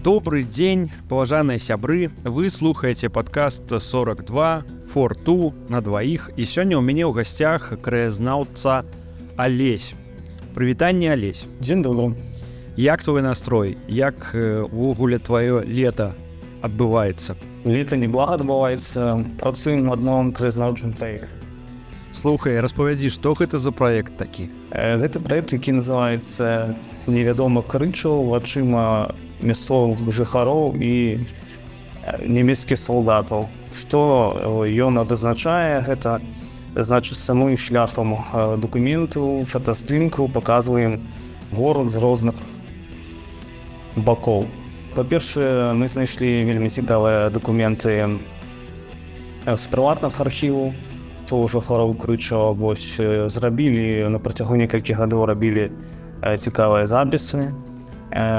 Добрый день, паважаныя сябры. Вы слухаеце падкаст 42 for two на двоих. І сёння ў мяне ў гасцях краязнаўца Алесь. Прывітанне, Алесь. Дзень добры. Як твой настрой? Як увогуле твоё лето адбываецца? Лето неблага адбываецца. Працуем над новым краязнаўчым праектам. Слухай, распавядзі, што гэта за праект такі? Гэта праект, які называецца «Невядомы крычаў вачыма мясцовых жыхароў і нямецкіх салдатаў». Што ён абазначае? Гэта значыць, самым шляхам дакументаў, фотаздымкаў паказваем горад з розных бакоў. Па-першае, мы знайшлі вельмі цікавыя дакументы з прыватных архіваў жыхароў крычаў. Вось зрабілі на працягу некалькіх гадоў рабілі цікавыя запісы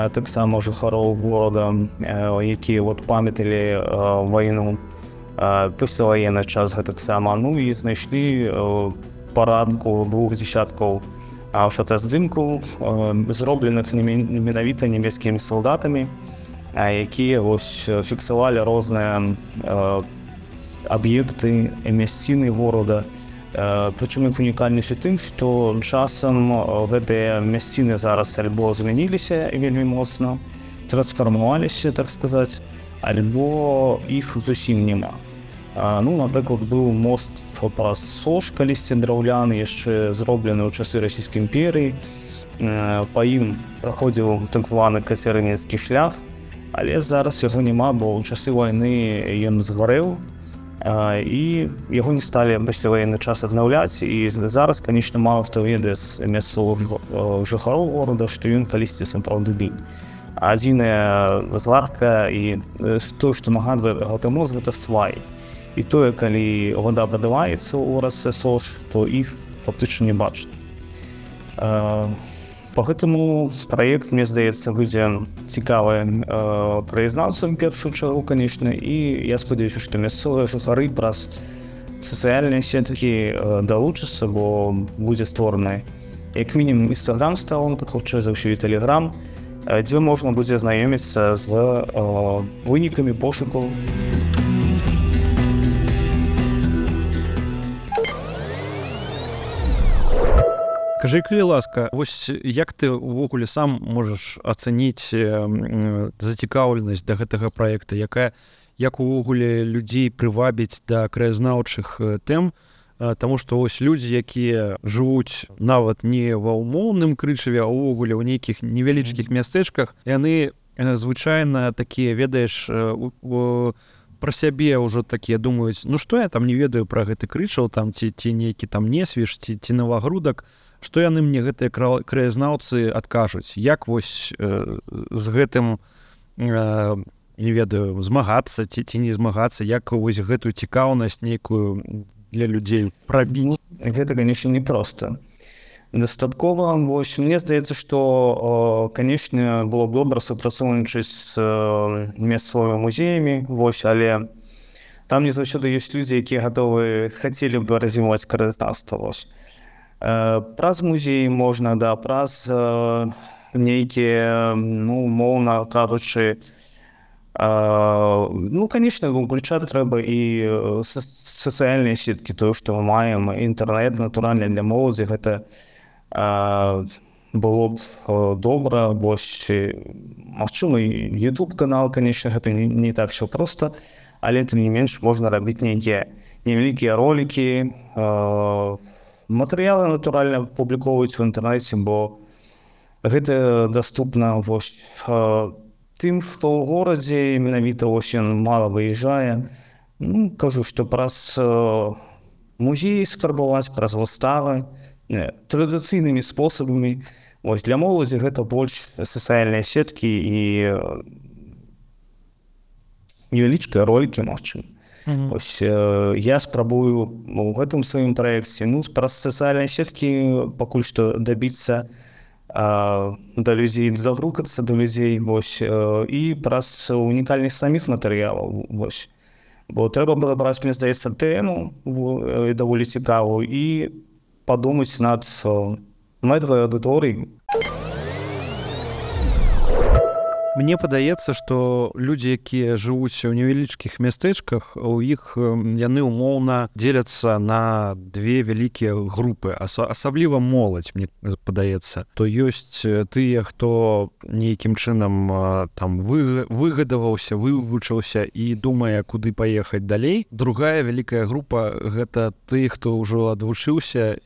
таксама жыхароў горада, якія памяталі вайну, пасляваенны час гэтаксама. Ну і знайшлі парадку 2 дзесяткаў фотаздымкаў, зробленых менавіта нямецкімі салдатамі, якія фіксавалі розныя аб'екты, мясціны горада. Прычым іх унікальнасць у тым, што часам гэтыя мясціны зараз альбо змяніліся вельмі моцна, трансфармаваліся, так сказаць, альбо іх зусім няма. Напрыклад, быў мост праз Сош, калісьці драўляны, яшчэ зроблены ў часы Расійскай імперыі. Па ім праходзіў так званы кацярынецкі шлях, але зараз яго няма, бо ў часы вайны ён згарэў, і яго не сталі пасляваенны час аднаўляць. І зараз, канечне, мала хто ведае з мясцовых жыхароў горада, што ён калісьці сапраўды быў. Адзіная згадка і тое, што нагадвае гэты мост, гэта свай. І тое, калі вода падаваецца ў рацы Сош, то іх фактычна не бачна. Па гэтаму праект, мне здаецца, будзе цікавы краязнаўцам першую чаргу, канечне, і я спадзяюся, што мясцовыя жыхары праз сацыяльныя сеткі далучацца, бо будзе створаны як мінімум інстаграм-старонка, хутчэй за ўсё і тэлеграм, дзе можна будзе знаёміцца з вынікамі пошукаў. Кажы, калі ласка, вось як ты увогуле сам можаш ацаніць зацікаўленасць да гэтага праекта, як увогуле людзей прывабіць да краязнаўчых тэм, таму што вось людзі, якія жывуць нават не ва ўмоўным Крычаве, а ўвогуле ў нейкіх невялічкіх мястэчках, яны звычайна такія, ведаеш, пра сябе ўжо такія думаюць, што я там не ведаю пра гэты Крычаў, там ці нейкі там Несвіж, ці Навагрудак, што яны мне гэтыя краязнаўцы адкажуць, як вось з гэтым, не ведаю, змагацца ці не змагацца, як вось гэтую цікаўнасць нейкую для людзей прабіць? Гэта, канечне, непроста. Дастаткова, мне здаецца, што, канечне, было б добра супрацоўнічаць з мясцовымі музеямі, але там не заўсёды ёсць людзі, якія хацелі б развіваць краязнаўства. Праз музеі можна, праз нейкія, умоўна кажучы, канечне, уключаць трэба і сацыяльныя сеткі, тое, што мы маем, інтэрнэт, натуральна, для моладзі, гэта было б добра, магчыма, YouTube-канал, канечне, гэта не так все проста, але тым не менш можна рабіць нейкія невялікія ролікі, матэрыялы, натуральна, публікоўваюць у інтэрнэце, бо гэта даступна тым, хто ў горадзе, менавіта ён мала выязджае. Кажу, што праз музеі скарбаваць, праз выставы, традыцыйнымі спосабамі. Для моладзі гэта больш сацыяльныя сеткі і невялічкія ролікі, магчыма. Я спрабую у гэтым сваім праекце праз сацыяльныя сеткі пакуль што дабіцца да людзей, дагрукацца да людзей, і праз унікальных саміх матэрыялаў. Бо трэба было браць, мне здаецца, тэму даволі цікавую і падумаць над мэтай аўдыторыяй. Мне падаецца, што людзі, якія жывуць у невялічкіх мястэчках, у іх яны умоўна дзеляцца на две вялікія групы, асабліва моладзь, мне падаецца. То ёсць тыя, хто нейкім чынам там выгадаваўся, вывучыўся і думае, куды паехаць далей. Другая вялікая група — гэта ты, хто ўжо адвучыўся,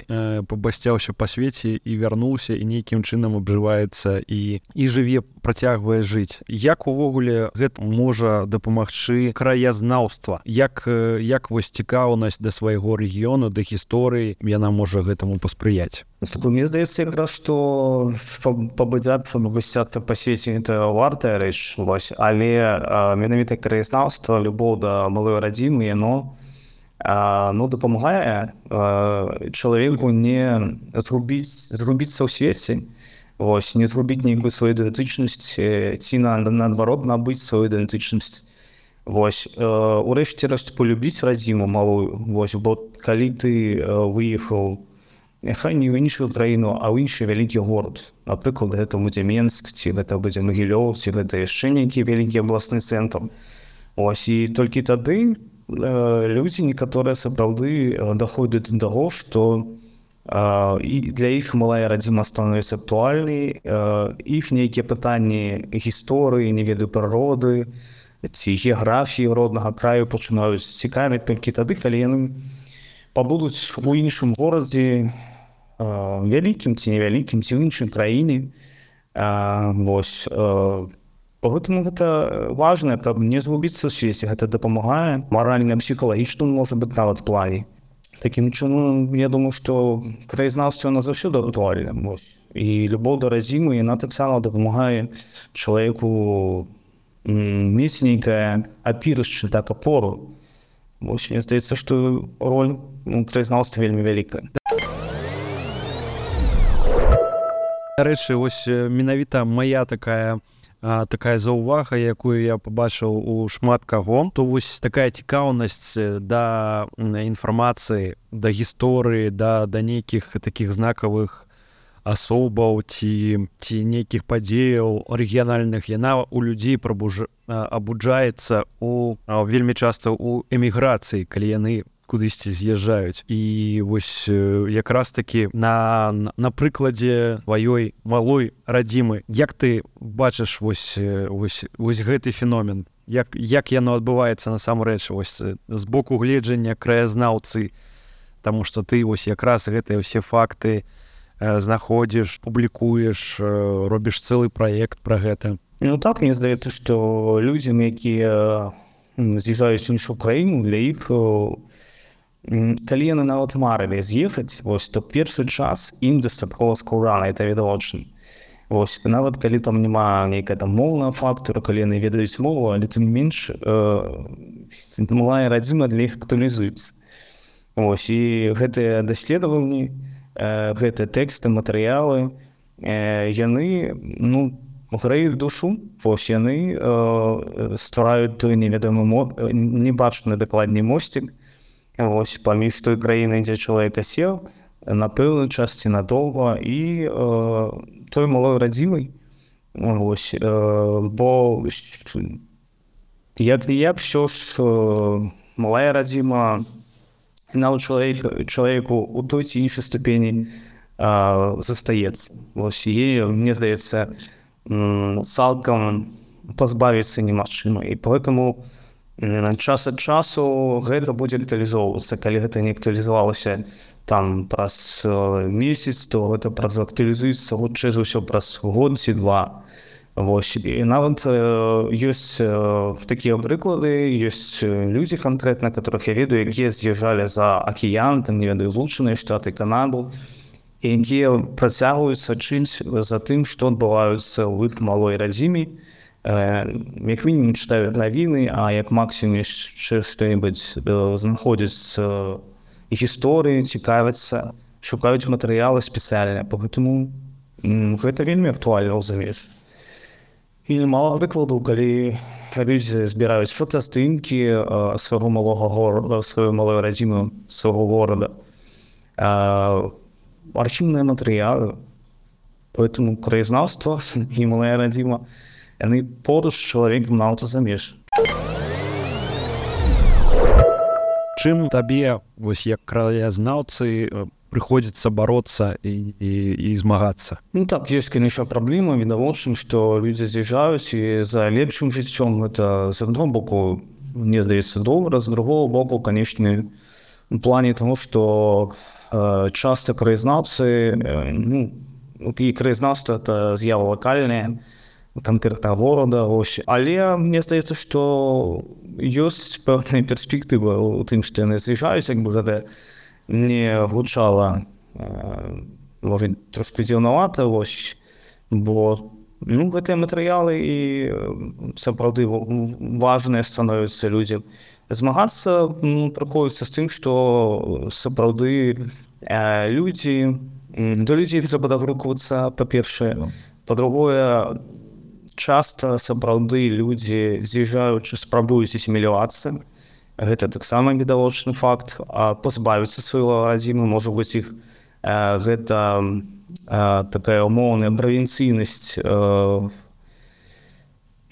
пабасцяўся па свеце і вярнуўся і нейкім чынам абжываецца і жыве, працягвае жыць. Як увогуле гэта можа дапамагчы краязнаўства? Як вось цікаўнасць да свайго рэгіёну, да гісторыі, яна можа гэтаму паспрыяць? Мне здаецца якраз, што пабудзяцца, пабасцяцца па свеце — гэта вартая рэч, але менавіта краязнаўства, любоў да малой радзімы, яно дапамагае чалавеку не зрубіцца ў свеце, не зрубіць нейкую сваю ідэнтычнасць ці наадварот набыць сваю ідэнтычнасць. Урэшце рэшт полюбіць радзіму малую, бо калі ты выехаў няхай не ў іншую краіну, а ў іншы вялікі горад, напрыклад, гэта будзе Менск, ці гэта будзе Магілёў, ці гэта яшчэ нейкі вялікі абласны цэнтр. І толькі тады людзі некаторыя сапраўды даходзяць да таго, што і для іх малая радзіма становіцца актуальнай, іх нейкія пытанні гісторыі, не ведаю, прыроды ці геаграфіі роднага краю пачынаюць цікавіць толькі тады, калі яны пабудуць у іншым горадзе, вялікім ці невялікім, ці ў іншай краіне. Поэтому гэта важна, каб не згубіцца ў свеце. Гэта дапамагае маральна, псіхалагічна, можа быць, нават плане. Такім чынам, я думаю, што краязнаўства яно заўсёды актуальна. І любоў да радзімы, яна таксама дапамагае чалавеку мець нейкае апірышча, так, апору. Мне здаецца, што роль краязнаўства вельмі вялікая. Дарэчы, вось менавіта мая такая заўвага, якую я пабачыў у шмат каго, то вось такая цікаўнасць да інфармацыі, да гісторыі, да нейкіх такіх знакавых асобаў ці нейкіх падзеяў рэгіянальных, яна у людзей абуджаецца вельмі часта ў эміграцыі, калі яны кудысьці з'язджаюць. І вось якраз такі на прыкладзе тваёй малой радзімы, як ты бачыш вось гэты феномен? Як яно адбываецца насамрэч з боку гледжання краязнаўцы? Таму што ты вось якраз гэтыя ўсе факты знаходзіш, публікуеш, робіш цэлы праект пра гэта. Так, мне здаецца, што людзям, якія з'язджаюць у іншую краіну, для іх, калі яны нават марылі з'ехаць, то першы час ім дастаткова складана, это відавочна. Нават калі там няма нейкая там моўная фактора, калі яны ведаюць мову, але тым менш малая радзіма для іх актуалізуецца. І гэтыя даследаванні, гэтыя тэксты, матэрыялы, яны грэюць душу, яны ствараюць той невядомы, небачны дакладней мосцік паміж той краінай, дзе чалавек асеў, на пэўную час ці надоўга, і той малой радзімай. Бо як ўсё ж малая радзіма нават чалавеку у той ці іншай ступені застаецца. Яе, мне здаецца, цалкам пазбавіцца немагчыма. І поэтому час ад часу гэта будзе актуалізоўвацца. Калі гэта не актуалізавалася там праз месяц, то гэта актуалізуецца хутчэй за ўсё праз год ці два. І нават ёсць такія прыклады, ёсць людзі канкрэтна, которых я ведаю, якія з'язджалі за акіян, там, не ведаю, Злучаныя Штаты, Канаду, і якія працягваюць сачыць за тым, што адбываюцца ў іх малой радзіме. Як мінімум чытаюць навіны, а як максімум яшчэ што-небудзь знаходзяць гісторыі, цікавяцца, шукаюць матэрыялы спецыяльныя. Поэтому гэта вельмі актуальна ў замежжы. І мала прыкладаў, калі людзі збіраюць фотаздымкі свайго малога горада, сваёй малой радзімы, свайго горада, архіўныя матэрыялы. Поэтому краязнаўства і малая радзіма яны поруч з чалавекам на аўтазамежжы. Чым табе вось як краязнаўцы прыходзіцца бароцца і змагацца? Ну так, ёсць, конечно, праблема, відавочна, што людзі з'язджаюць і за лепшым жыццём. Гэта з аднаго боку, мне здаецца, добра, з другого боку, конечно, в плане того, што часто краязнаўцы, і краязнаўства это з'ява лакальная, канкрэтна горада, ось. Але мне здаецца, што ёсць пэўная перспектыва ў тым, што яны з'язджаюць, як бы гэта не гучала, можа, трошки дзіўнавата, ось, бо гэтыя матэрыялы і сапраўды важныя становяцца людзям. Змагацца прыходзіцца з тым, што сапраўды до людзей трэба дагруквацца, па-першае. Па-другое, часта сапраўды людзі, з'язджаючы, спрабуюць асімілявацца. Гэта таксама відавочны факт. А пазбавіцца свайго радзімы, можа быць, іх гэта такая умоўная правінцыйнасць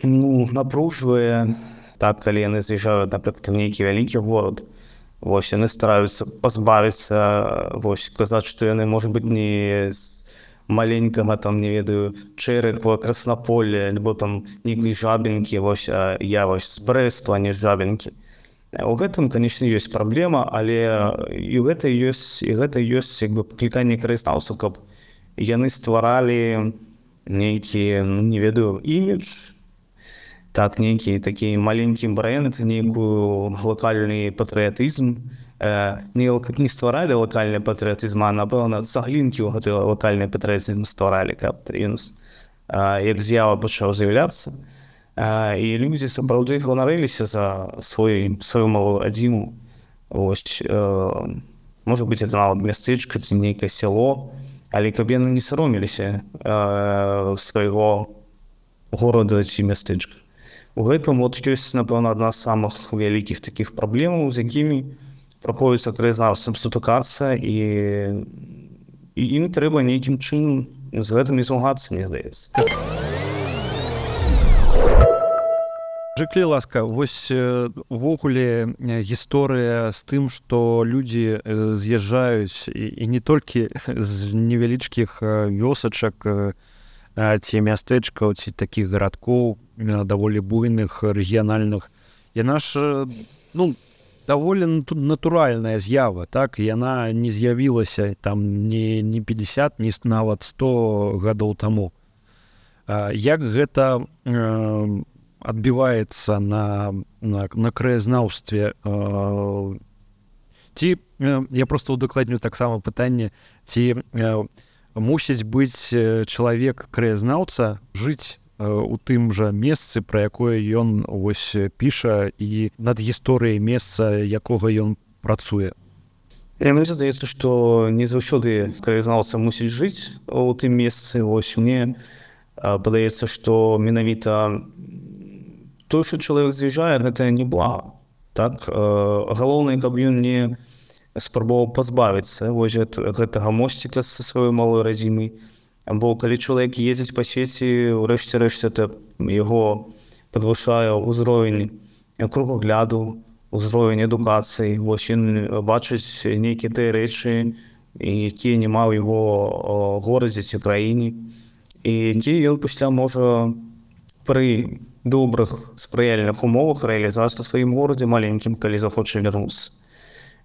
напружвае. Так, калі яны з'язджаюць, напрыклад, у нейкі вялікі горад, вось, яны стараюцца пазбавіцца, вось, казаць, што яны, можа быць, не з маленькага, там, не ведаю, Чэрыкова, Краснаполля, альбо там нейкай Жабінкі, вось, а я вось з Брэсту, а не з Жабінкі. У гэтым, конечно, ёсць праблема, але і гэта ёсць як бы пакліканне краязнаўцаў, каб яны стваралі нейкі, не ведаю, імідж, так, нейкі такі маленькі брэнд, нейкую лакальны патрыятызм. Не стваралі лакальны патрыятызм, а, напэўна, цаглінкі ў гэты лакальны патрыятызм стваралі, каб як з'ява пачаў з'яўляцца. І людзі сапраўды ганарыліся за сваю малую радзіму. Вось, можа быць, это нават мястэчка ці нейкае сяло, але каб яны не саромеліся свайго горада ці мястэчка. У гэтым ёсць, напэўна, адна з самых вялікіх такіх праблемаў, з якімі прыходзіцца краязнаўцам сутыкацца, і ім трэба нейкім чынам з гэтым і змагацца, мне здаецца. Скажы, ласка, вось увогуле гісторыя з тым, што людзі з'язджаюць і не толькі з невялічкіх вёсачак ці мястэчкаў, ці такіх гарадкоў даволі буйных, рэгіянальных, яна ж, даволі натуральная з'ява, так? Яна не з'явілася там ні 50, ні нават 100 гадоў таму. Як гэта адбіваецца на краязнаўстве? Ці, я проста удакладню таксама пытанне, ці мусіць быць чалавек краязнаўца, жыць у тым жа месцы, пра якое ён вось піша, і над гісторыяй месца, якога ён працуе? Мне здаецца, што не заўсёды краязнаўца мусіць жыць у тым месцы. Вось, мне падаецца, што менавіта той, што чалавек з'язджае, гэта не блага. Так? Галоўнае, каб ён не спрабаваў пазбавіцца вось гэтага мосціка са сваёй малой радзімай. Бо калі чалавек ездзіць па свеце, урэшце рэшт, это яго падвышае ўзровень кругагляду, ўзровень адукацыі. Вось ён бачыць нейкія тыя рэчы, якія няма ў яго горадзе ці краіне. І дзе ён пасля можа пры добрых спрыяльных умовах рэалізаваць на сваім горадзе маленькім, калі захоча вярнуцца.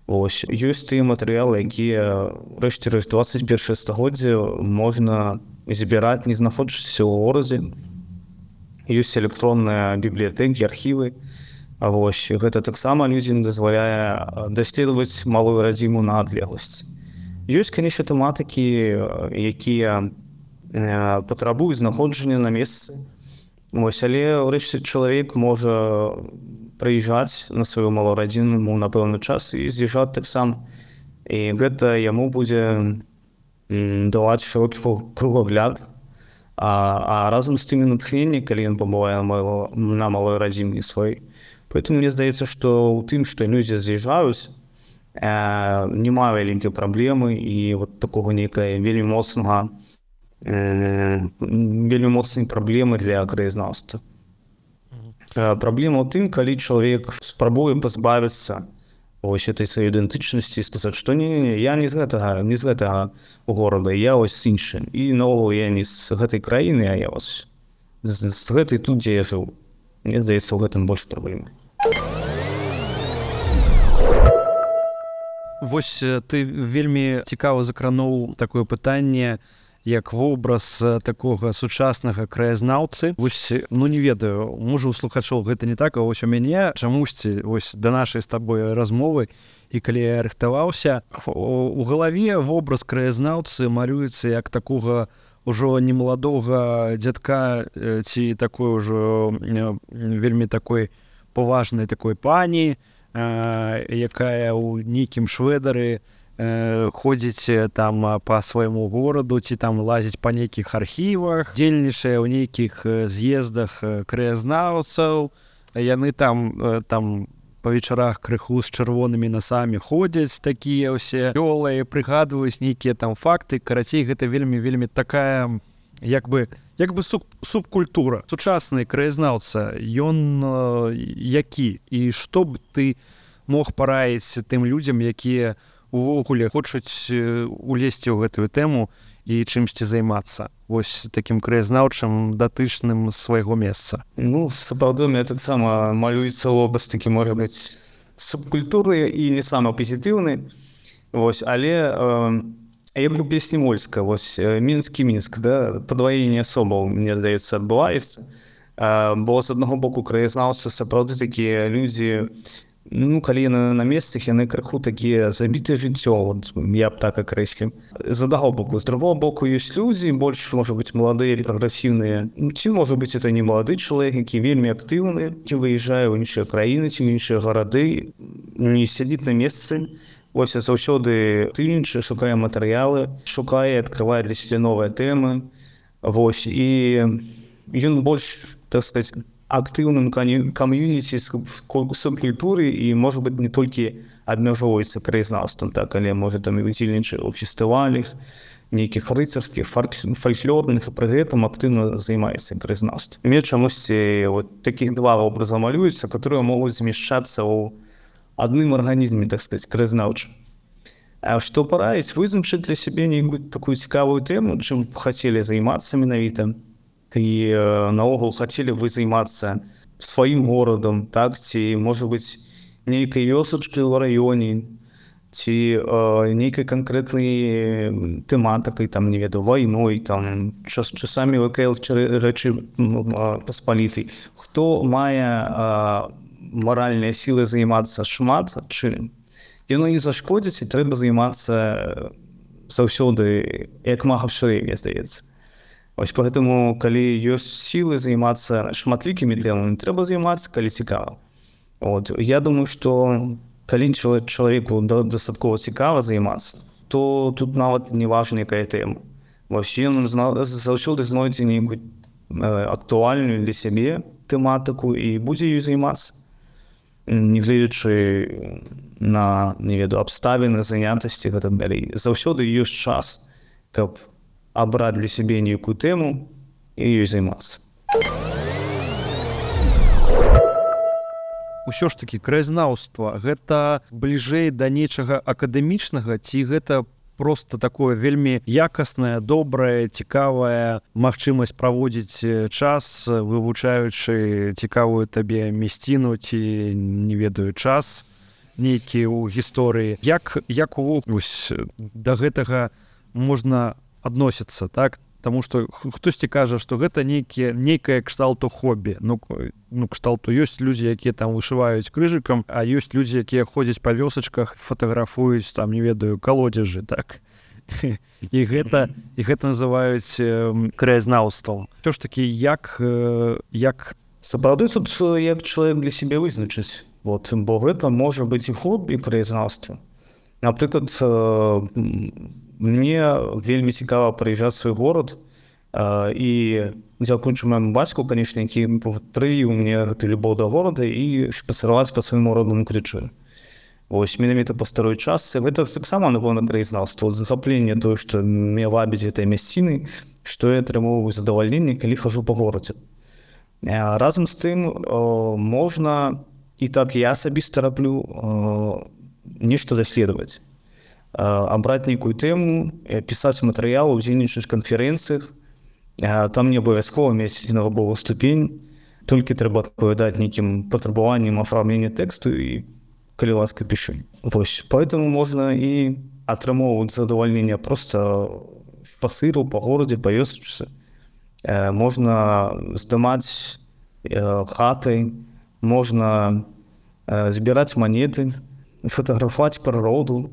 Ось, ёсць тыя матэрыялы, якія, рэшце рэшт, 21 стагоддзе можна збіраць, не знаходзячыся ў горадзе. Ёсць электронныя бібліятэкі, архівы. Вось, гэта таксама людзям дазваляе даследаваць малую радзіму на адлегласць. Ёсць, канешне, тэматыкі, якія патрабуюць знаходжання на месцы. Вось, але ўрэшце чалавек можа прыязджаць на сваю малую радзіму на пэўны час і з'язджаць таксама. І гэта яму будзе даваць шырокі кругагляд, а разам з тымі натхненне, калі ён пабывае на малой радзіме сваёй. Поэтому мне здаецца, што ў тым, што людзі з'язджаюць, няма вялікай праблемы і вот такога нейкая вельмі моцнага вельмі моцныя праблемы для краязнаўства. Праблема ў тым, калі чалавек спрабуе пазбавіцца вось этой сваёй ідэнтычнасці і сказаць, што не, я не з гэтага горада, я вось іншы. І наогул я не з гэтай краіны, а я вось з гэтай тут, дзе я жыў. Мне здаецца, у гэтым больш праблемы. Вось ты вельмі цікава закрануў такое пытанне, як вобраз такога сучаснага краязнаўцы. Вось, ну не ведаю, можа у слухачоў гэта не так, а вось у мяне чамусьці вось да нашай з табой размовы, і калі я рыхтаваўся, у галаве вобраз краязнаўцы малюецца як такога ўжо немаладога дзядка ці такой ужо вельмі такой паважнай такой пані, якая ў нейкім швэдары ходзіць там па свайму гораду ці там лазіць па нейкіх архівах, дзельнічае ў нейкіх з'ездах краязнаўцаў, яны там па вечарах крыху з чырвонымі насамі ходзяць, такія ўсе вёлыя, прыгадваюць нейкія там факты. Карацей, гэта вельмі такая як бы субкультура. Сучасны краязнаўца, ён які? І што б ты мог параіць тым людзям, якія увогуле хочуць улезці ў гэтую тэму і чымсьці займацца вось такім краязнаўчым датычным свайго месца? Ну, сапраўды, мне таксама малюецца вобраз такі, можа быць, субкультуры і не самы пазітыўны. Вось, але як у песні Мольска, вось мінскі Мінск, да, падваенне асобаў, мне здаецца, адбываецца. Бо з аднаго боку краязнаўцы сапраўды такія людзі, ну, калі яны на месцах, яны крыху такія забітыя жыццё, вот, я б так акрэсліў. З аднаго боку. З другого боку, ёсць людзі, больш, можа быць, маладыя і прагрэсіўныя. Ці, можа быць, это не малады чалавек, які вельмі актыўны, ці выязджае ў іншыя краіны, ці ў іншыя гарады, не сядзіць на месцы. Вось, заўсёды актыўнічае, шукае матэрыялы, шукае, адкрывае для сябе новыя тэмы. Вось, і ён больш, так сказаць, актыўным кам'юніці субкультуры і, можа быць, не толькі абмяжоўваецца краязнаўствам, так, але, можа, там і удзельнічае ў фестывалях, нейкіх рыцарскіх, фальклорных, і пры гэтым актыўна займаецца краязнаўствам. Мне чамусьці вот такіх два вобраза малююцца, которые могуць змяшчацца ў адным арганізме, так сказаць, краязнаўчым. А што параіць? Вызначыць для сябе нейкую такую цікавую тэму, чым хацелі займацца менавіта. І наогул хацелі вы займацца сваім горадам, так, ці, можа быць, нейкай вёсачкай ў раёне, ці нейкай канкрэтнай тэматыкай, там, не ведаю, вайной, там, часамі ВКЛ рэчы паспалітай. Хто мае маральныя сілы займацца шмат чым, яно не зашкодзіць, і трэба займацца заўсёды як мага шырэй, мне здаецца. Вось поэтому, калі ёсць сілы займацца шматлікімі тэмамі, трэба займацца, калі цікава. Вот. Я думаю, што калі чалавеку дастаткова цікава займацца, то тут нават не важна, якая тэма. Вось ён заўсёды знойдзе нейкую актуальную для сябе тэматыку і будзе ёй займацца. Не гледзячы на, не ведаю, абставіны, занятасці, гэтак далей. Заўсёды ёсць час, каб абраць для сябе нейкую тэму і ёй займацца. Усё ж такі краязнаўства гэта бліжэй да нечага акадэмічнага, ці гэта проста такое вельмі якаснае, добрае, цікавая магчымасць праводзіць час, вывучаючы цікавую табе мясціну ці, не ведаю, час нейкі ў гісторыі. Як увогуле да гэтага можна адносіцца, так? Таму што хтосьці кажа, што гэта нейкае кшталту хобі. Ну, кшталту ёсць людзі, якія там вышываюць крыжыкам, а ёсць людзі, якія ходзяць па вёсачках, фатаграфуюць, там, не ведаю, калодзежы, так? І гэта называюць краязнаўствам. Усё ж такі, як... Сапраўды тут як чалавек для сябе вызначыць. Вот, бо гэта можа быць і хобі краязнаўства. Напрыклад, мне вельмі цікава прыязджаць свой горад, і дзякуючы майму бацьку, канешне, які прывіў мне гэту любоў да горада і шпацыраваць па свайму роднаму крычы. Вось, менавіта па старой частцы, гэта таксама, напэўна, краязнаўства. Захапленне тое, што мне вабіць гэтай мясціны, што я атрымоўваю задавальненне, калі хожу па горадзе. Разам з тым можна, і так я асабіста раблю, нешта даследаваць. Абраць нейкую тэму, пісаць матэрыял, удзельнічаць у канферэнцыях. Там не абавязкова мець навуковую ступень, толькі трэба адпавядаць нейкім патрабаванням афармлення тэксту і, калі ласка, пішы. Вось, поэтому можна і атрымоўваць задавальненне проста па сыру, па горадзе, па вёсачцы. Можна здымаць хаты, можна збіраць манеты, фатаграфаваць прыроду.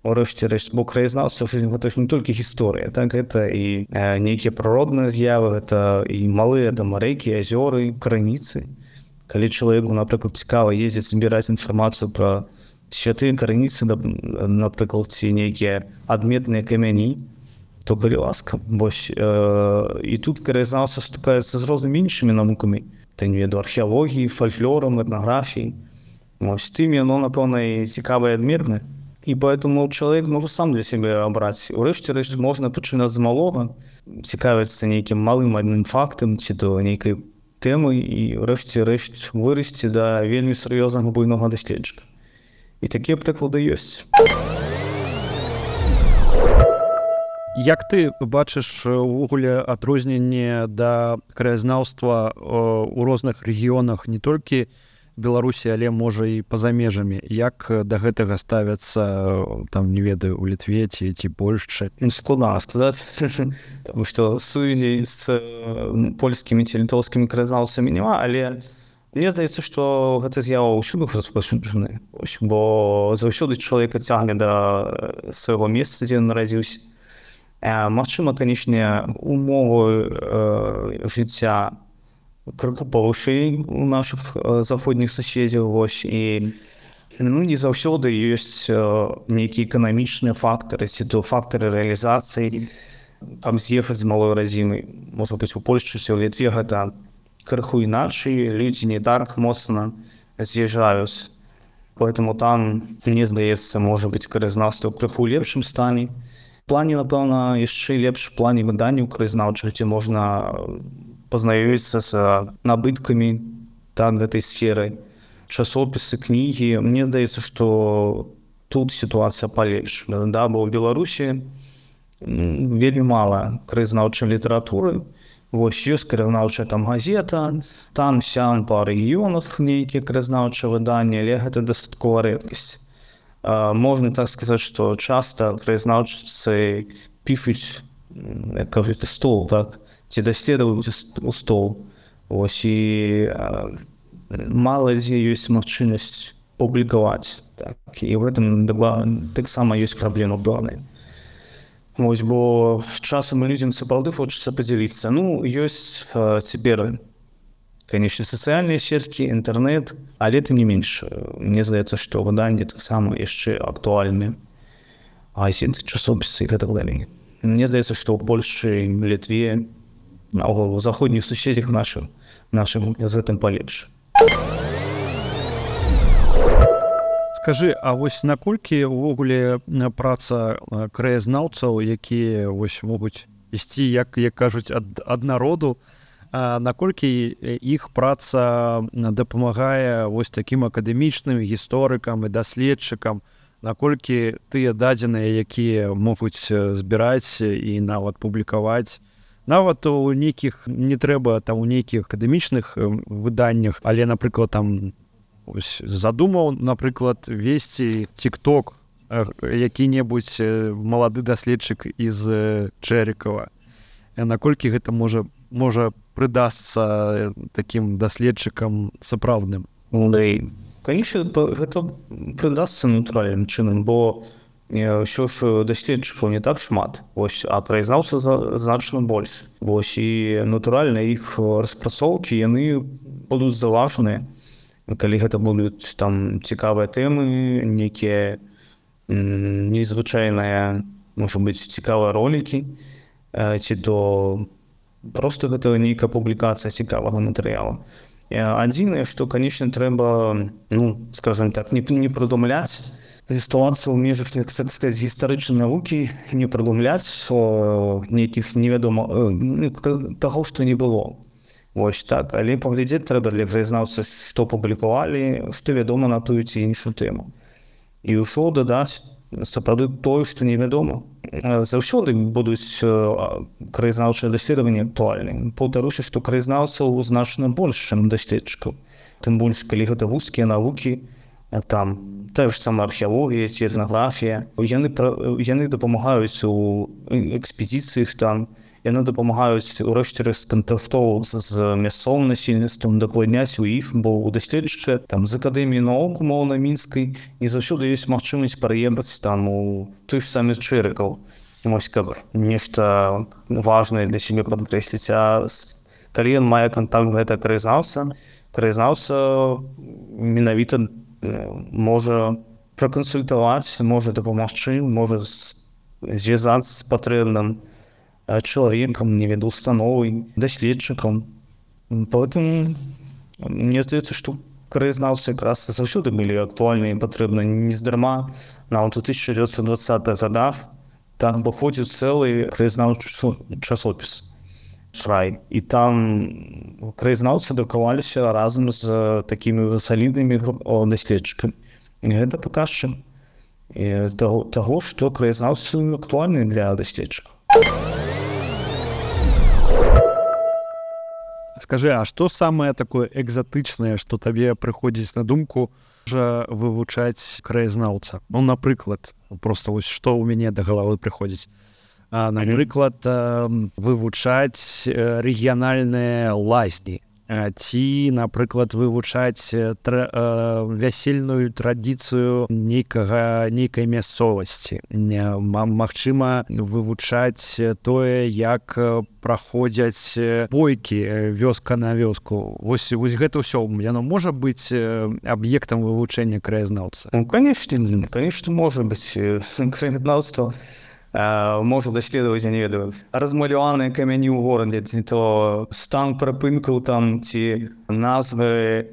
Урэшце рэшт, бо краязнаўства гэта ж не толькі гісторыя, так, гэта і нейкія прыродныя з'явы, гэта і малыя там рэкі, азёры, крыніцы. Калі чалавеку, напрыклад, цікава ездзіць збіраць інфармацыю пра святыя крыніцы, напрыклад, ці нейкія адметныя камяні, то калі ласка. Вось, і тут краязнаўства стыкаецца з рознымі іншымі навукамі, та не веду, археалогіі, фальклорам, этнаграфіі. Вось тым яно, напэўна, і цікавае адметнае. І поэтому чалавек можа сам для сябе абраць. Урэшце рэшт можна пачынаць з малога, цікавіцца нейкім малым адным фактам ці то нейкай тэмай і урэшце рэшт вырасці да вельмі сур'ёзнага буйнога даследчыка. І такія прыклады ёсць. Як ты бачыш увогуле адрозненне да краязнаўства ў розных рэгіёнах, не толькі Беларусі, але можа і па-за межамі? Як да гэтага ставяцца, там, не ведаю, у Літве ці Польшчы? Складана сказаць, таму што сувязі з польскімі ці літоўскімі краязнаўцамі няма, але мне здаецца, што гэта з'ява ўсюды распаўсюджаны, бо заўсёды чалавека цягне да свайго месца, дзе ён нарадзіўся. Магчыма, канечне, умовы жыцця крыху павышэй у нашых заходніх суседзяў, вось, і не заўсёды ёсць нейкія эканамічныя фактары, ці то фактары рэалізацыі, там з'ехаць з малой радзімы. Можа быць, у Польшчы ці ў Літве гэта крыху іначай, людзі не так моцна з'язджаюць. Поэтому там, мне здаецца, можа быць, краязнаўства крыху ў лепшым стане. В плане, напэўна, яшчэ лепш в плане выданняў краязнаўчых, дзе можна пазнаёміцца з набыткамі так гэтай сферы, часопісы, кнігі. Мне здаецца, што тут сітуацыя палепш. Да, бо ў Беларусі вельмі мала краязнаўчай літаратуры. Вось ёсць краязнаўчая там газета, там сям па рэгіёнах нейкія краязнаўчыя выданні, але гэта дастаткова рэдкасць. Можна так сказаць, што часта краязнаўцы пішуць, як кажуць, стол, так, ці даследуюць у стол. Вось, і мала дзе ёсць магчымасць публікаваць. Так, і ў гэтым таксама ёсць праблема пэўная. Вось, бо часам людзям сапраўды хочацца падзяліцца. Ёсць цяпер, канечне, сацыяльныя сеткі, інтэрнэт, але тым не менш, мне здаецца, што выданні таксама яшчэ актуальныя. Газеты, часопісы і гэтак далей. Мне здаецца, што ў Польшчы, Літве, у заходніх суседзях нашым з гэтым палепш. Скажы, а вось наколькі ўвогуле праца краязнаўцаў, якія вось могуць ісці, як кажуць, ад народу, наколькі іх праца дапамагае вось такім акадэмічным гісторыкам і даследчыкам, наколькі тыя дадзеныя, якія могуць збіраць і нават публікаваць, нават у нейкіх, не трэба там у нейкіх акадэмічных выданнях, але, напрыклад, там ось задумаў, напрыклад, весці TikTok які-небудзь малады даследчык з Чэрікава. Наколькі гэта можа прыдасца такім даследчыкам сапраўдным? Канечне, гэта прыдасца натуральным чынам, бо ўсё ж даследчыкаў не так шмат, вось, а краязнаўцаў значна больш. Вось, і натуральна іх распрацоўкі, яны будуць залажаныя. Калі гэта будуць там цікавыя тэмы, нейкія незвычайныя, можа быць, цікавыя ролікі, ці то проста гэта нейкая публікацыя цікавага матэрыялу. Адзінае, што, канечне, трэба, скажам так, не прыдумляць заставацца ў межах, як сказаць, гістарычнай навукі, не прыдумляць нейкіх невядома таго, што не было. Вось так, але паглядзець трэба для краязнаўца, што публікавалі, што вядома на тую ці іншую тэму. І ўжо дадаць сапраўды тое, што невядома. Заўсёды будуць краязнаўчыя даследаванні актуальныя. Паўтаруся, што краязнаўцаў значна больш, чым даследчыкаў. Тым больш, калі гэта вузкія навукі, там тая ж сама археалогія ці этнаграфія. Яны дапамагаюць у экспедыцыях там, яны дапамагаюць урэшце рэшт кантактоўвацца з мясцовым насельніцтвам, дакладняць у іх, бо ў даследчыка там з акадэміі навук умоўна мінскай не заўсёды ёсць магчымасць пераехаць там у той ж самы Чэрыкаў. Вось каб нешта важнае для сябе падкрэсліць. А калі ён мае кантакт гэта краязнаўца менавіта можа пракансультаваць, можа дапамагчы, можа звязацца з патрэбным чалавекам, не веду, установай, даследчыкам. Поэтому мне здаецца, што краязнаўцы якраз заўсёды былі актуальныя і патрэбны нездарма. Нават у 1920-х годах там выходзіў цэлы краязнаўчы часопіс «Шрай». І там краязнаўцы друкаваліся разам з такімі ўжо саліднымі даследчыкамі. І гэта паказчык таго, што краязнаўцы актуальныя для даследчыкаў. Скажи, а што самае такое экзатычнае, што табе прыходзіць на думку, можа вывучаць краязнаўца? Ну, напрыклад, проста вось што ў мяне да галавы прыходзіць. Напрыклад, вывучаць рэгіянальныя лазні ці, напрыклад, вывучаць вясельную традыцыю нейкай мясцовасці. Магчыма, вывучаць тое, як праходзяць бойкі вёска на вёску. Вось гэта ўсё, яно можа быць аб'ектам вывучэння краязнаўца? Ну, конечно, можа быць. Краязнаўства можа даследаваць, я не ведаю, размаляваныя камяні ў горадзе, ці то стан прыпынкаў там, ці назвы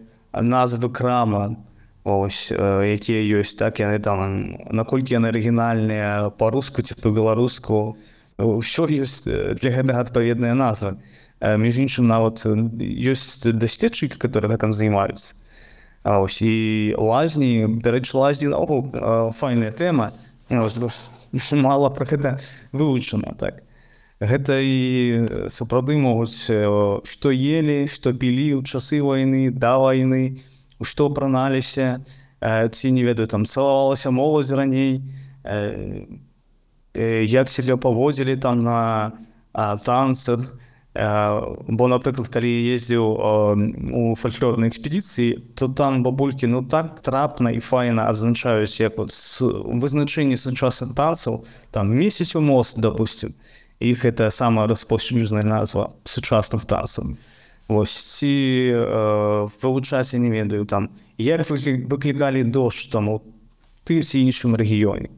крама, ось, якія ёсць, так, яны там, наколькі яны арыгінальныя па-руску ці па-беларуску, ўсё ёсць для гэтага адпаведная назва. Між іншым, нават ёсць даследчыкі, которые гэтым займаюцца. Ось, і лазні, дарэчы, лазні наогул файная тэма. Мала пра гэта вывучана, так. Гэта і сапраўды могуць, што елі, што пілі ў часы вайны, да вайны, што апраналіся, ці, не ведаю, там, цалавалася моладзь раней, як сябе паводзілі там на танцах. Бо, напрыклад, калі я ездзіў у фальклорнай экспедыцыі, то там бабулькі, ну, так трапна і файна адзначаюць, як вот вызначэнне сучасных танцаў, там, месяц у мост, допустим, іх гэта самая распаўсюджаная назва сучасных танцаў. Вось, ці вывучаць, я не ведаю, там, як выклікалі дождж там у тым ці іншым рэгіёне.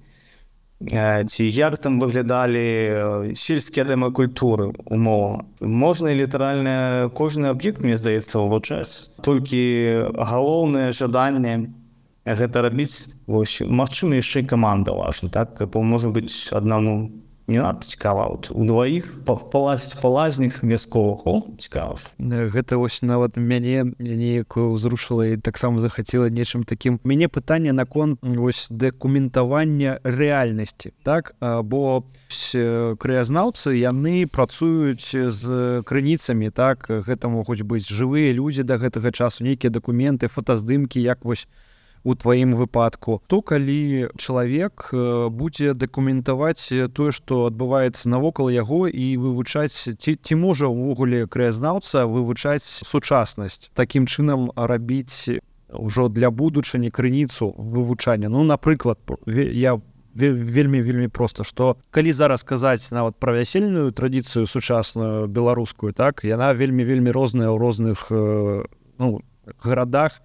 Ці як там выглядалі сельскія дамы культуры, умоўна. Можна і літаральна кожны аб'ект, мне здаецца, вывучаць. Толькі галоўнае жаданне гэта рабіць, вось, магчыма, яшчэ і каманда важна, так? Бо, можа быць, аднаму не надта цікава, от у дваіх палазіць па лазнях вясковых, цікава. Гэта вось нават мяне неяк узрушыла і таксама захацела нечым такім. Мяне пытанне наконт вось дакументавання рэальнасці, так? Бо краязнаўцы, яны працуюць з крыніцамі, так? Гэта могуць быць жывыя людзі да гэтага часу, нейкія дакументы, фотаздымкі, як вось у тваім выпадку, то калі чалавек будзе дакументаваць тое, што адбываецца навокал яго і вывучаць, ці можа ўвогуле краязнаўца вывучаць сучаснасць, такім чынам рабіць ўжо для будучыні крыніцу вывучання. Ну, напрыклад, я вельмі проста, што калі зараз казаць нават пра вясельную традыцыю сучасную беларускую, так, яна вельмі розная ў розных гарадах,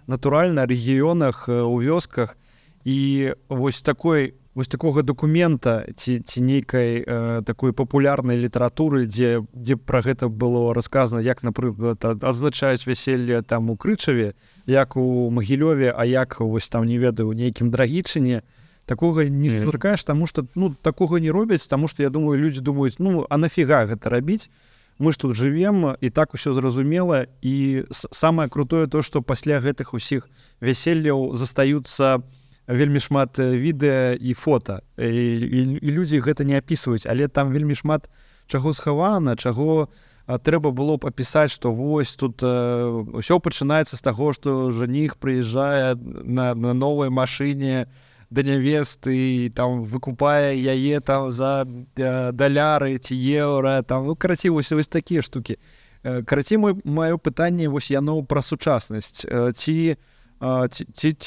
натуральна, рэгіёнах, у вёсках. І вось такой вось такога документа ці нейкай такой папулярнай літаратуры, дзе пра гэта было расказана, як, напрыклад, адзначаюць вяселле там у Крычаве, як у Магілёве, а як вось там, не ведаю, у нейкім Драгічыне, такога не сустракаеш, таму што такога не робяць, таму што, я думаю, людзі думаюць, а нафіга гэта рабіць? Мы ж тут жывем, і так усё зразумела, і самае крутое то, што пасля гэтых усіх вяселляў застаюцца вельмі шмат відэа і фота, і людзі гэта не апісваюць, але там вельмі шмат чаго схавана, чаго трэба было б апісаць, што вось тут ўсё пачынаецца з таго, што жаніх прыязджае на новай машыне да нявесты і там выкупае яе там за даляры ці еўра, там, карацей, вось такія штукі. Карацей, маё пытанне, вось яно пра сучаснасць. Ці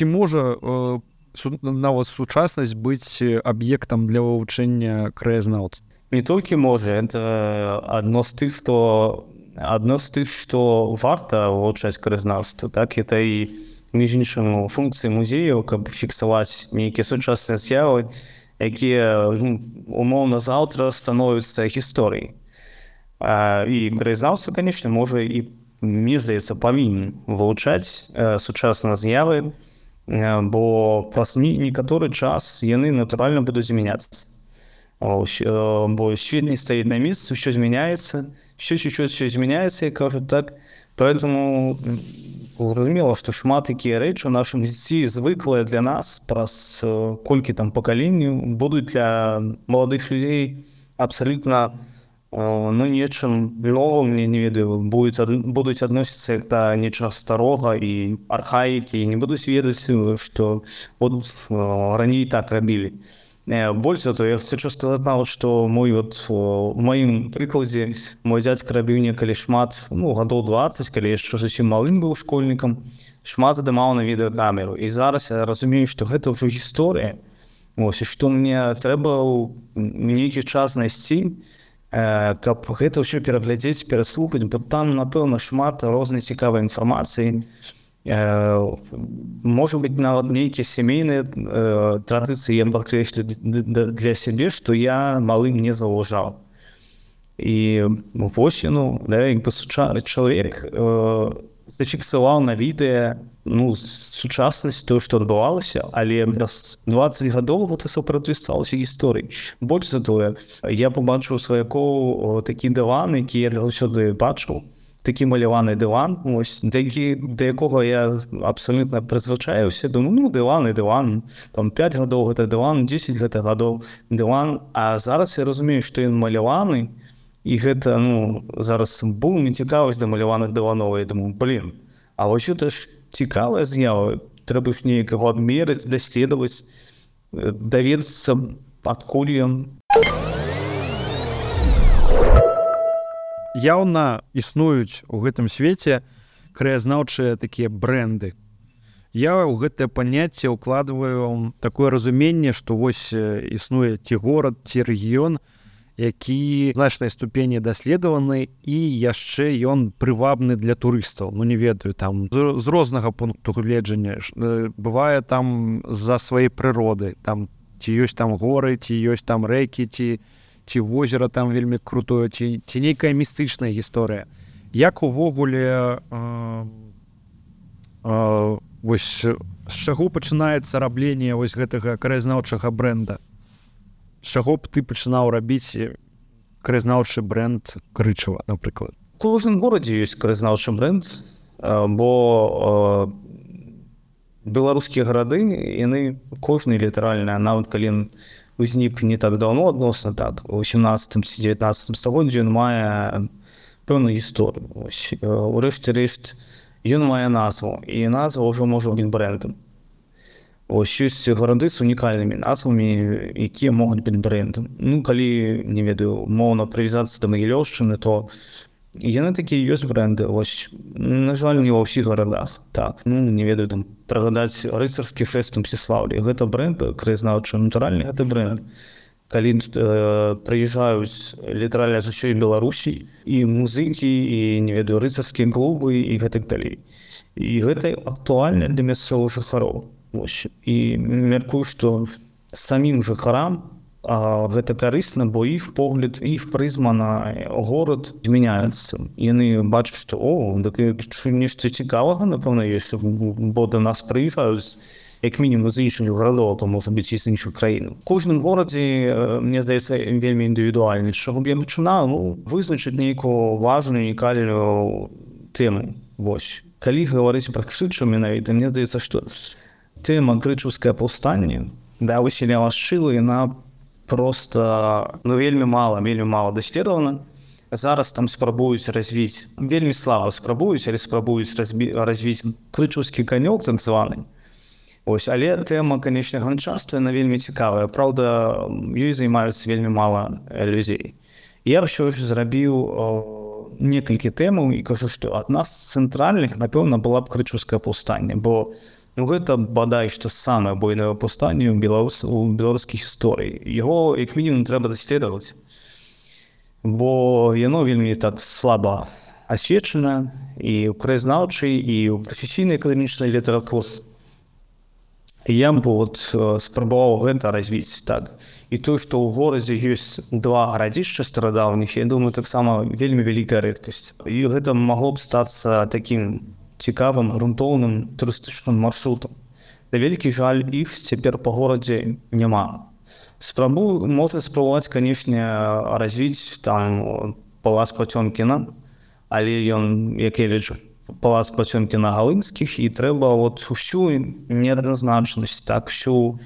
можа нават сучаснасць быць аб'ектам для вывучэння краязнаўства? Не толькі можа, это адно з тых, што варта вывучаць краязнаўства, так, это і між іншым функцыі музеяў, каб фіксаваць нейкія сучасныя з'явы, якія умоўна заўтра становяцца гісторыяй. І краязнаўца, канечне, можа і, мне здаецца, павінен вывучаць сучасныя з'явы, бо праз некаторы час яны натуральна будуць змяняцца. Бо свет не стаіць на месцы, ўсё змяняецца, ўсё змяняецца, як кажуць, так. Поэтому зразумела, што шмат якія рэчы ў нашым жыцці звыклыя для нас праз колькі там пакаленняў будуць для маладых людзей абсалютна нечым новым, не ведаю, будуць адносіцца як да нечага старога і архаікі, і не будуць ведаць, што раней так рабілі. Больш за то, я хочу сказаць нават, што у маім прыкладзе мой дзядзька рабіў некалі шмат, гадоў 20, калі яшчэ зусім малым быў школьнікам, шмат здымаў на відэакамеру. І зараз я разумею, што гэта ўжо гісторыя. Ось, і што мне трэба нейкі час знайсці, каб гэта ўсё пераглядзець, пераслухаць, бо там, напэўна, шмат рознай цікавай інфармацыі. Можа быць, нават нейкія сямейныя традыцыі я падкрэслю для сябе, што я малым не заўважаў. І вось, як бы чалавек зафіксаваў на відэа сучаснасць, тое, што адбывалася, але праз 20 гадоў гэта сапраўды сталася гісторыяй. Больш за тое, я пабачыў сваякоў такі дыван, які я заўсёды бачыў, такі маляваны дыван, да якога я абсалютна прызвычаіўся, думаю, дыван і дыван, там 5 гадоў гэта дыван, 10 гэта гадоў дыван, а зараз я разумею, што ён маляваны, і гэта, зараз бум і цікавасць да маляваных дываноў, я думаю, а вось гэта ж цікавая з'ява, трэба ж неяк яго адмерыць, даследаваць, даведацца, адкуль ён. Яўна існуюць у гэтым свеце краязнаўчыя такія брэнды. Я ў гэтае паняцце ўкладваю такое разуменне, што вось існуе ці горад, ці рэгіён, які в значнай ступені даследаваны, і яшчэ ён прывабны для турыстаў. Не ведаю, там з рознага пункту гледжання. Бывае там з-за сваёй прыроды, там ці ёсць там горы, ці ёсць там рэкі, ці возера там вельмі крутое, ці нейкая містычная гісторыя. Як увогуле вось з чаго пачынаецца рабленне вось гэтага краязнаўчага брэнда? З чаго б ты пачынаў рабіць краязнаўчы брэнд Крычава, напрыклад? У кожным горадзе ёсць краязнаўчы брэнд, бо беларускія гарады, яны кожны літаральна, нават калі узнік не так даўно адносна, так, у 18 ці 19 стагоддзі ён мае пэўную гісторыю. Урэшце рэшт, ён мае назву, і назва ўжо можа быць брэндам. Ёсць гарады з унікальнымі назвамі, якія могуць быць брэндам. Калі, не ведаю, моўна прывязацца да Магілёўшчыны, то яны такія ёсць брэнды. На жаль, не ва ўсіх гарадах. Так, не ведаю, там, прыгадаць рыцарскі фэст у Мсціслаўлі. Гэта брэнд краязнаўчы, натуральны гэта брэнд. Калі прыязджаюць літаральна з усёй Беларусі, і музыкі, і, не ведаю, рыцарскія клубы, і гэтак далей. І гэта актуальна для мясцовых жыхароў. І мяркую, што самім жыхарам гэта карысна, бо іх погляд, іх прызма на горад змяняецца. Яны бачаць, што нешта цікавага, напэўна, ёсць, бо да нас прыязджаюць як мінімум з іншых гарадоў, то можа быць і з іншых краін. У кожным горадзе, мне здаецца, вельмі індывідуальны. З чаго б я пачынаў? Вызначыць нейкую важную, унікальную тэму. Вось. Калі гаварыць пра Крычаў менавіта, мне здаецца, што тэма крычаўскае паўстанне, Васіля Вашчылы, яна просто вельмі мала даследавана. Зараз там спрабуюць развіць, вельмі слаба спрабуюць, але спрабуюць развіць крычаўскі канёк так званы. Але тэма, канечне, ганчарства, яна вельмі цікавая. Праўда, ёй займаюцца вельмі мала людзей. Я ўсё ж зрабіў некалькі тэмаў і кажу, што адна з цэнтральных, напэўна, была б крычаўскае паўстанне, бо гэта, бадай, што самае буйное паўстанне ў беларускай гісторыі. Яго, як мінімум, трэба даследаваць, бо яно вельмі так слаба асвечана і ў краязнаўчай, і ў прафесійнай акадэмічнай літаратуры. Я б спрабаваў гэта развіць так. І тое, што ў горадзе ёсць два гарадзішча старадаўніх, я думаю, таксама вельмі вялікая рэдкасць. І гэта магло б стацца такім цікавым, грунтоўным турыстычным маршрутам. На вялікі жаль, іх цяпер па горадзе няма. Можна спрабаваць, канечне, развіць там палац Пацёмкіна, але ён, як я лічу, палац Пацёмкіна-Галынскіх, і трэба усю неадназначнасць, всю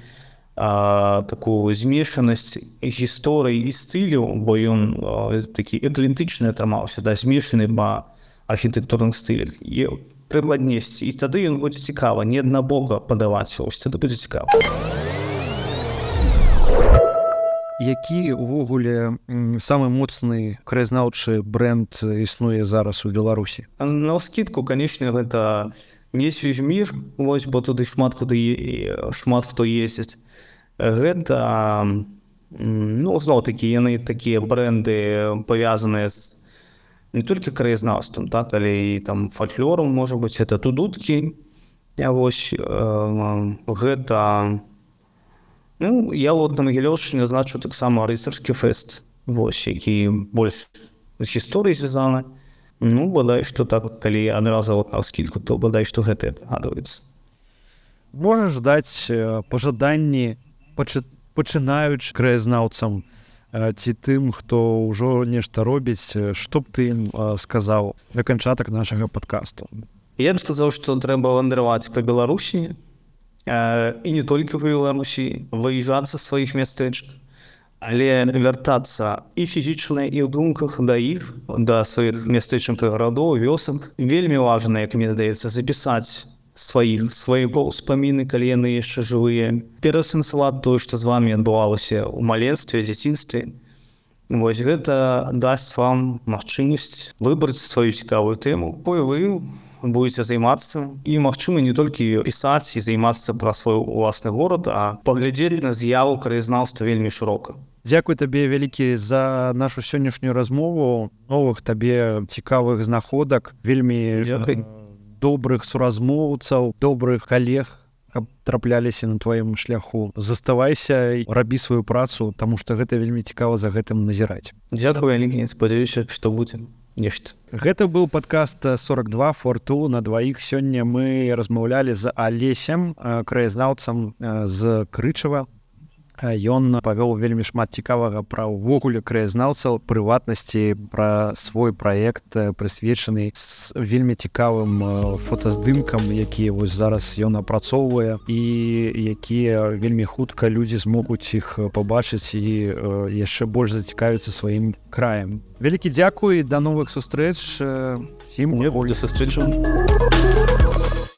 такую змешанасць гісторыі і стыляў, бо ён такі эклектычны атрымаўся, змешаны па архітэктурных стылях. І трэба аднесці, і тады ён будзе цікава, не аднабока падаваць, тады будзе цікава. Які увогуле самы моцны краязнаўчы брэнд існуе зараз у Беларусі? Навскідку, канечне, гэта не Свіжмір, бо туды шмат хто ездзіць. Гэта, зноў-такі, яны такія брэнды павязаныя з не толькі краязнаўствам, але і там фальклорам, можа быць, гэта тудуткі. Гэта... я на Магілёўшчыне значу таксама рыцарскі фэст, які больш з гісторыяй звязаны. Бадай, што так, калі адразу навскідку, то бадай, што гэта прыгадваецца. Можаш даць пажаданні пачынаючы краязнаўцам ці тым, хто ўжо нешта робіць, што б ты ім сказаў на канчатак нашага падкасту? Я б сказаў, што трэба вандраваць па Беларусі, і не толькі па Беларусі, выязджаць са сваіх мястэчак, але вяртацца і фізічна, і ў думках да іх, да сваіх мястэчак і гарадоў, вёсак. Вельмі важна, як мне здаецца, запісаць свае ўспаміны, калі яны яшчэ жывыя, пераасэнсаваць тое, што з вамі адбывалася ў маленстве, дзяцінстве. Гэта дасць вам магчымасць выбраць сваю цікавую тэму, якой вы будете займацца, і, магчыма, не толькі пісаць і займацца пра свой уласны горад, а паглядзець на з'яву краязнаўства вельмі шырока. Дзякуй табе вялікі за нашу сённяшнюю размову, новых табе цікавых знаходак, вельмі добрых суразмоўцаў, добрых калег, каб трапляліся на тваім шляху. Заставайся і рабі сваю працу, таму што гэта вельмі цікава за гэтым назіраць. Дзякуй вялікі, спадзяюся, што будзе нешта. Гэта быў падкаст 42 форту на дваіх. Сёння мы размаўлялі з Алесем, краязнаўцам з Крычава. Ён павёў вельмі шмат цікавага пра ўвогуле краязнаўцаў, прыватнасці, пра свой праект, прысвечаны з вельмі цікавым фотаздымкам, якія зараз ён апрацоўвае і якія вельмі хутка людзі змогуць іх пабачыць і яшчэ больш зацікавіцца сваім краем. Вялікі дзякуй, да новых сустрэч. Всім до сустрэчаў.